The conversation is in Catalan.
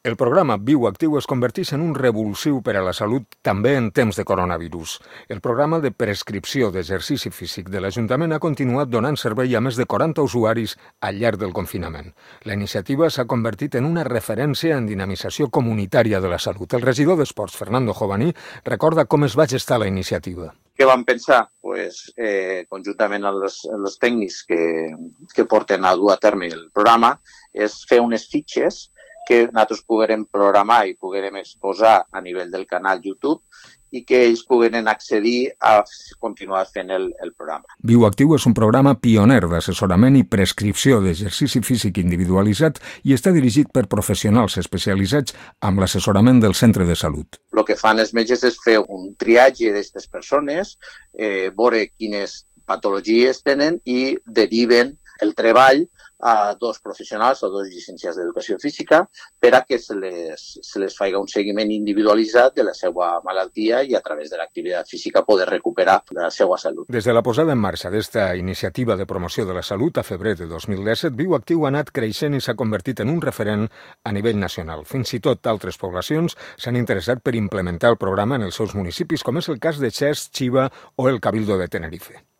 El programa Viu Actiu es converteix en un revulsiu per a la salut també en temps de coronavirus. El programa de prescripció d'exercici físic de l'Ajuntament ha continuat donant servei a més de 40 usuaris al llarg del confinament. La iniciativa s'ha convertit en una referència en dinamització comunitària de la salut. El regidor d'Esports, Fernando Jovaní, recorda com es va gestar la iniciativa. Què vam pensar? Conjuntament amb els tècnics que porten a dur a terme el programa, és fer unes fitxes que nosaltres poguérem programar i poguérem exposar a nivell del canal YouTube i que ells pogueren accedir a continuar fent el programa. Viu Actiu és un programa pioner d'assessorament i prescripció d'exercici físic individualitzat i està dirigit per professionals especialitzats amb l'assessorament del centre de salut. El que fan els metges és fer un triatge d'aquestes persones, veure quines patologies tenen i deriven el treball a dos professionals o dos llicenciats d'educació física per a que se les faci un seguiment individualitzat de la seva malaltia i a través de l'activitat física poder recuperar la seva salut. Des de la posada en marxa d'esta iniciativa de promoció de la salut a febrer de 2017, Viu Actiu ha anat creixent i s'ha convertit en un referent a nivell nacional. Fins i tot altres poblacions s'han interessat per implementar el programa en els seus municipis, com és el cas de Xest, Xiva o el Cabildo de Tenerife.